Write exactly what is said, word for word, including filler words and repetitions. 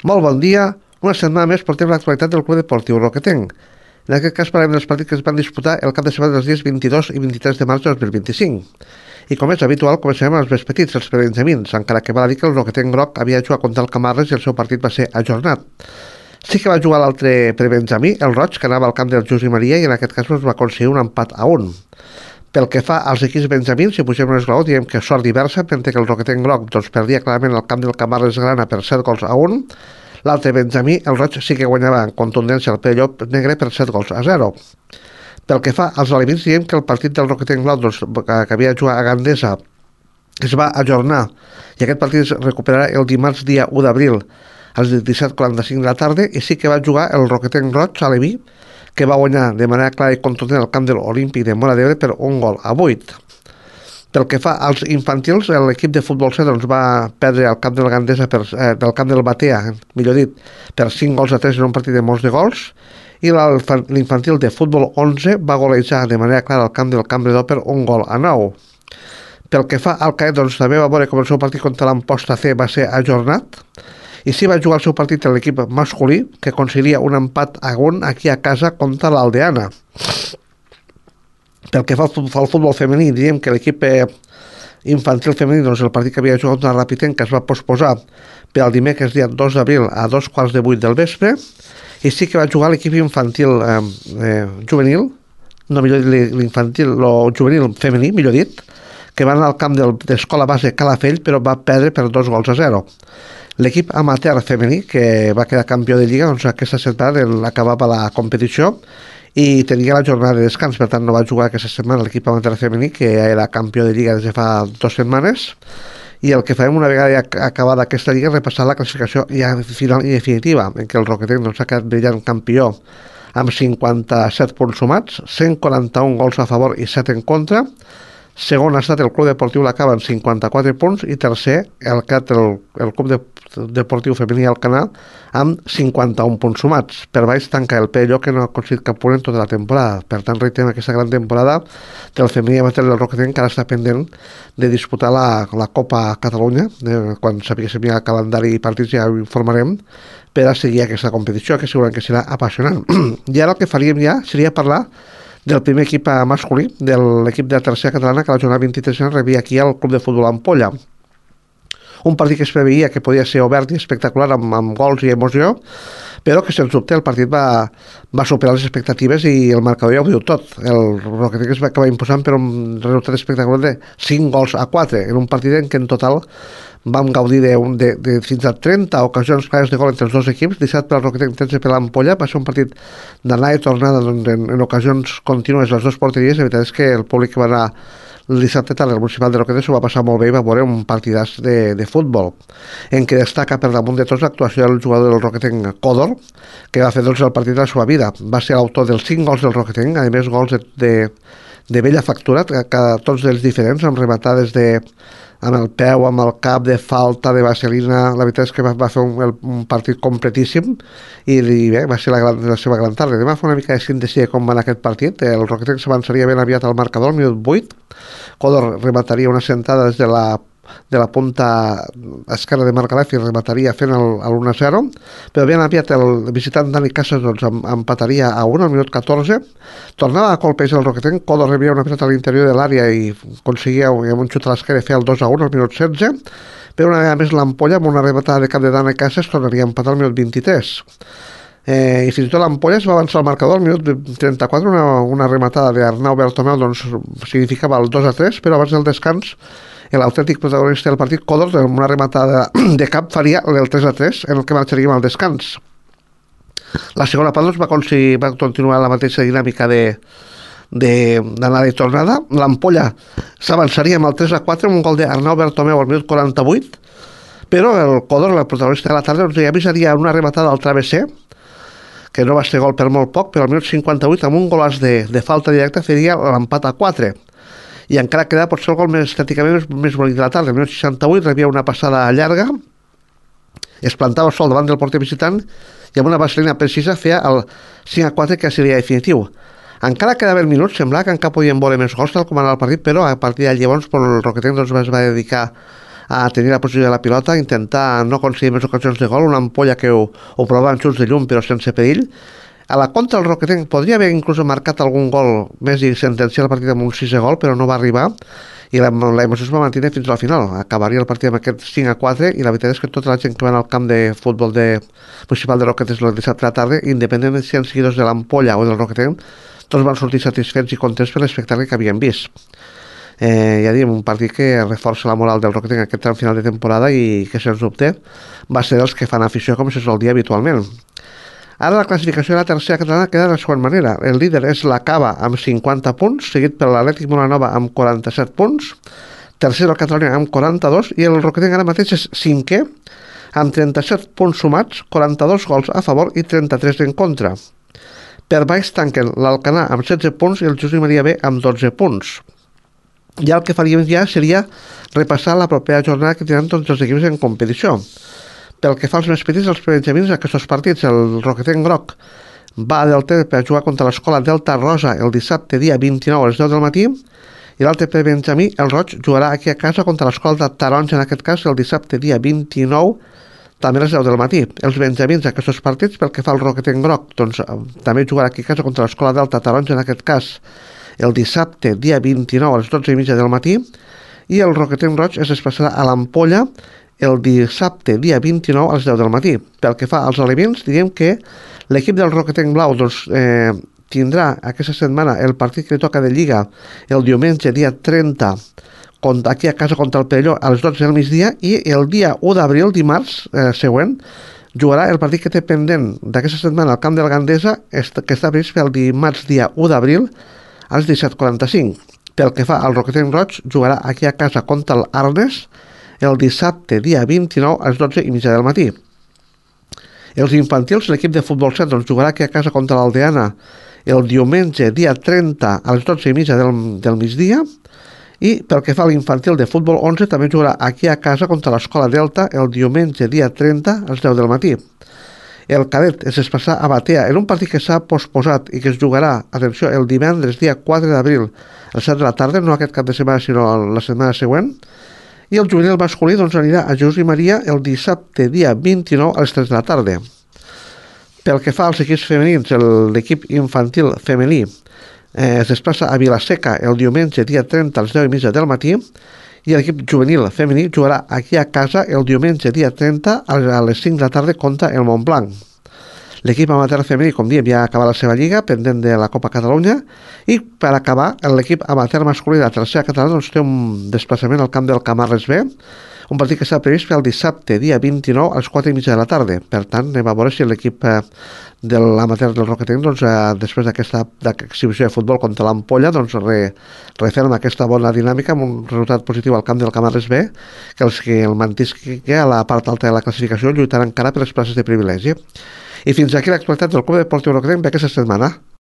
Molt bon dia. Una setmana més portem l'actualitat del Club Deportiu Roquetenc. En aquest cas parlem dels partits que es van disputar el cap de setmana dels dies vint-i-dos i vint-i-tres de març de dos mil vint-i-cinc. I com és habitual, començarem amb els més petits, els prebenjamins, encara que val a dir que el Roquetenc groc havia jugat contra el Camarles i el seu partit va ser ajornat. Sí que va jugar l'altre prebenjamí, el Roig, que anava al camp del Josep Maria i en aquest cas es va aconseguir un empat a un. Pel que fa als equips benjamins, si pugem un esglaó, diem que sort diversa, mentre que el Roquetenc groc doncs, perdia clarament al camp del Camarles Grana per set gols a un. L'altre benjamí, el Roig, sí que guanyava en contundència el Pellop Negre per set gols a zero. Pel que fa als aliments, diem que el partit del Roquetenc groc doncs, que, que havia jugat a Gandesa es va ajornar i aquest partit es recuperarà el dimarts dia u d'abril als disset quaranta-cinc de la tarda i sí que va jugar el Roquetenc Roig a Leví, que va guanyar de manera clara i contundent al camp de l'Olímpic de Móra d'Ebre per un gol a vuit. Pel que fa als infantils, l'equip de futbol C doncs, va perdre al camp del Gandesa per, eh, del camp del Batea, millor dit, per cinc gols a tres en un partit de molts de gols, i l'infantil de futbol onze va golejar de manera clara al camp del Campredó per un gol a nou. Pel que fa al Caet, doncs, també va veure com el seu partit contra l'Amposta C va ser ajornat, i sí va jugar el seu partit a l'equip masculí, que aconseguiria un empat a un aquí a casa contra l'Aldeana. Pel que fa al futbol femení, diríem que l'equip infantil femení, doncs el partit que havia jugat contra Rapitenc, que es va posposar per al dimecres dia dos d'abril a dos quarts de vuit del vespre, i sí que va jugar l'equip infantil eh, eh, juvenil, no millor dit l'infantil, el juvenil femení, millor dit, que va anar al camp del, de l'escola base Calafell, però va perdre per dos gols a zero. L'equip amateur femení, que va quedar campió de Lliga, doncs aquesta setmana acabava la competició i tenia la jornada de descans, per tant no va jugar aquesta setmana l'equip amateur femení, que era campió de Lliga des de fa dues setmanes, i el que farem una vegada ja acabada aquesta Lliga és repassar la classificació ja final i definitiva, en què el Roquetenc doncs, ha quedat brillant campió amb cinquanta-set punts sumats, cent quaranta-un gols a favor i set en contra. Segon ha estat el Club Deportiu L'Acaba amb cinquanta-quatre punts i tercer el, el, el Club de, Deportiu Femení Alcanar amb cinquanta-un punts sumats. Per baix tanca el Pelló, que no ha aconseguit cap punt en tota la temporada. Per tant, reiterem aquesta gran temporada del femení amateur del Roquetenc, que ara està pendent de disputar la, la Copa Catalunya. De, quan sapiguéssim ja el calendari i partits ja ho informarem per a seguir aquesta competició, que segurament que serà apassionant. I ara el que faríem ja seria parlar del primer equip masculí, de l'equip de la tercera catalana, que a la jornada vint-i-tres rebia aquí al Club de Futbol Ampolla. Un partit que es preveia que podia ser obert i espectacular amb, amb gols i emoció, però que sens dubte el partit va, va superar les expectatives i el marcador ja ho diu tot. El Roquetenc es va acabar imposant per un resultat espectacular de cinc gols a quatre, en un partit en què en total vam gaudir de, de, de fins a trenta ocasions clares de gol entre els dos equips, disset per al Roquetenc, tretze per l'Ampolla. Va ser un partit d'anar i tornada en, en, en ocasions contínues les dues porteries. La veritat és que el públic que va anar el dissabte tant al municipal de Roquetenc s'ho va passar molt bé i va veure un partidàs de, de futbol, en què destaca per damunt de tots l'actuació del jugador del Roquetenc, Còdor, que va fer doncs, el partit de la seva vida. Va ser l'autor dels cinc gols del Roquetenc, a més gols de, de, de bella factura, que, que tots els diferents, amb rematades de amb el peu, amb el cap, de falta, de vaselina. La veritat és que va, va fer un, un partit completíssim i, i bé, va ser la, gran, la seva gran tarda. Demà fa una mica de síntesi de com va anar aquest partit. El Roquetenc s'avançaria ben aviat al marcador, al minut vuit. Còdor remataria una sentada des de la de la punta esquerra de Marc Alef i remataria fent l'un a zero, però ben aviat el visitant Dani Casas doncs, empataria a un al minut catorze, tornava a colpejar el Roquetenc, Còdor rebia una pilota a l'interior de l'àrea i aconseguia amb un xut a l'esquerra fer el dos a un al minut setze, però una vegada més l'Ampolla amb una rematada de cap de Dani Casas tornaria a empatar al minut vint-i-tres. Eh, i fins i tot l'Ampolla es va avançar al marcador al minut trenta-quatre, una, una rematada d'Arnau Bertomeu doncs, significava el dos a tres, però abans del descans l'autèntic protagonista del partit, Còdor, amb una rematada de cap faria el tres a tres, en el que marxaríem al descans. La segona part doncs, va, va continuar la mateixa dinàmica de d'anada i tornada. L'Ampolla s'avançaria amb el tres a quatre amb un gol d'Arnau Bertomeu al minut quaranta-vuit, però el Còdor, el protagonista de la tarda, doncs, ja avisaria una rematada al travesser, que no va ser gol per molt poc, però al minut cinquanta-vuit amb un golàs de, de falta directa faria l'empat a quatre. I encara queda potser el gol més estèticament més, més bonic de la tarda. El minut seixanta-vuit rebia una passada llarga, es plantava sol davant del porter visitant i amb una vaselina precisa feia el cinc a quatre, que seria definitiu. Encara quedaven minuts, semblava que encara podien veure més gols tal com anava el partit, però a partir de llavors el Roquetenc doncs, es va dedicar a tenir la posició de la pilota, intentar no aconseguir més ocasions de gol, una ampolla que ho, ho provava en xuts de llum però sense perill. A la contra el Roquetenc podria haver inclús marcat algun gol més i sentenciar el partit amb un sisè gol, però no va arribar i la, la emoció es va mantenir fins al final. Acabaria el partit amb aquest cinc a quatre i la veritat és que tota la gent que va al camp de futbol de municipal de Roquetes el dissabte a la tarda, independentment si eren seguidors de l'Ampolla o del Roquetenc, tots van sortir satisfets i contents per l'espectacle que havien vist. Eh, ja diem, un partit que reforça la moral del Roquetenc en aquest tram final de temporada i que, sens dubte, va ser dels que fan afició com se sol dir habitualment. Ara la classificació de la tercera catalana queda de la següent manera. El líder és la Cava amb cinquanta punts, seguit per l'Atlètic Molanova amb quaranta-set punts, tercer el Catalunya amb quaranta-dos i el Roquetenc ara mateix és cinquè amb trenta-set punts sumats, quaranta-dos gols a favor i trenta-tres en contra. Per baix tanquen l'Alcanar amb setze punts i el Josep Maria B amb dotze punts. Ja el que faríem ja seria repassar la propera jornada que tenen tots els equips en competició. Pel que fa als més petits, els benjamins d'aquests partits, el Roquetenc Groc va a Delta per jugar contra l'escola Delta Rosa el dissabte dia vint-i-nou a les deu del matí i l'altre per benjamí, el Roig, jugarà aquí a casa contra l'escola de Taronja, en aquest cas el dissabte dia vint-i-nou també a les deu del matí. Els benjamins d'aquests partits, pel que fa al Roquetenc Groc, doncs també jugarà aquí a casa contra l'escola Delta Taronja, en aquest cas el dissabte dia vint-i-nou a les dotze i mitja del matí i el Roquetenc Roig es desplaçarà a l'Ampolla el dissabte, dia vint-i-nou, a les deu del matí. Pel que fa als elements, diguem que l'equip del Roquetenc Blau doncs, eh, tindrà aquesta setmana el partit que li toca de Lliga el diumenge, dia trenta, aquí a casa contra el Perelló a les dotze del migdia i el dia u d'abril, dimarts eh, següent, jugarà el partit que té pendent d'aquesta setmana al camp de la Gandesa, que està previst pel dimarts, dia u d'abril, a les disset quaranta-cinc. Pel que fa al Roquetenc Roig, jugarà aquí a casa contra l'Arnes, el dissabte, dia vint-i-nou, a les dotze i mitja del matí. Els infantils, l'equip de futbol set, doncs, jugarà aquí a casa contra l'Aldeana el diumenge, dia trenta, a les dotze i mitja del, del migdia, i pel que fa a l'infantil de futbol onze, també jugarà aquí a casa contra l'Escola Delta el diumenge, dia trenta, a les deu del matí. El cadet es desplaçarà a Batea en un partit que s'ha posposat i que es jugarà, atenció, el divendres, dia quatre d'abril, a les set de la tarda, no aquest cap de setmana, sinó la setmana següent, i el juvenil masculí doncs, anirà a Jesús i Maria el dissabte, dia vint-i-nou, a les tres de la tarda. Pel que fa als equips femenins, l'equip infantil femení eh, es desplaça a Vilaseca el diumenge, dia trenta, a les deu i mitja del matí, i l'equip juvenil femení jugarà aquí a casa el diumenge, dia trenta, a les cinc de la tarda contra el Montblanc. L'equip amateur femení, com diem, ja ha acabat la seva lliga, pendent de la Copa Catalunya, i per acabar, l'equip amateur masculí de la tercera catalana doncs, té un desplaçament al camp del Camarles B, un partit que està previst pel dissabte, dia vint-i-nou, a les quatre i mitja de la tarda. Per tant, anem a veure si l'equip eh, de l'amateur del Roquetenc, doncs, eh, després d'aquesta exhibició de futbol contra l'Ampolla, doncs, re, referma aquesta bona dinàmica amb un resultat positiu al camp del Camarles B, que els que el mantisqui a la part alta de la classificació lluitaran encara per les places de privilegi. I fins aquí l'actualitat del Club Deportiu Roquetenc d'aquesta setmana.